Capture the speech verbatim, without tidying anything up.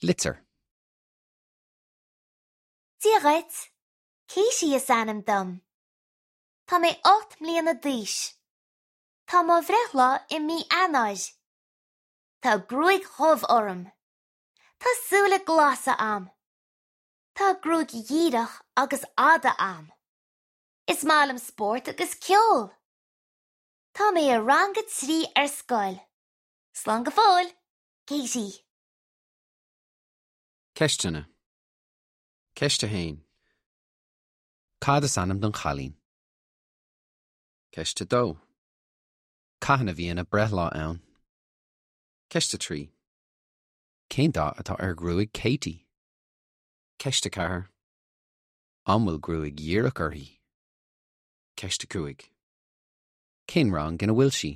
Litir. Dia dhuit, Katie is ainm dom. Tá mé ocht mbliana d'aois. Tá mo bhreithlá i mí Eanáir. Tá gruaig dhubh orm. Tá súile glasa a'm. Tá gruaig dhíreach agus fhada a'm. Is maith liom spórt agus ceol. Tá mé i rang a trí ar scoil. Slán go fóill, Katie. Ceisteanna. Ceist a haon. Cad is ainm don chailín? Ceist a dó. Cathain a bhíonn a breithlá ann. Ceist a trí. Cén dath atá ar ghruaig Katie? Ceist a ceathair. An bhfuil gruaig dhíreach uirthi? Ceist a cúig. Cén rang ina bhfuil sí?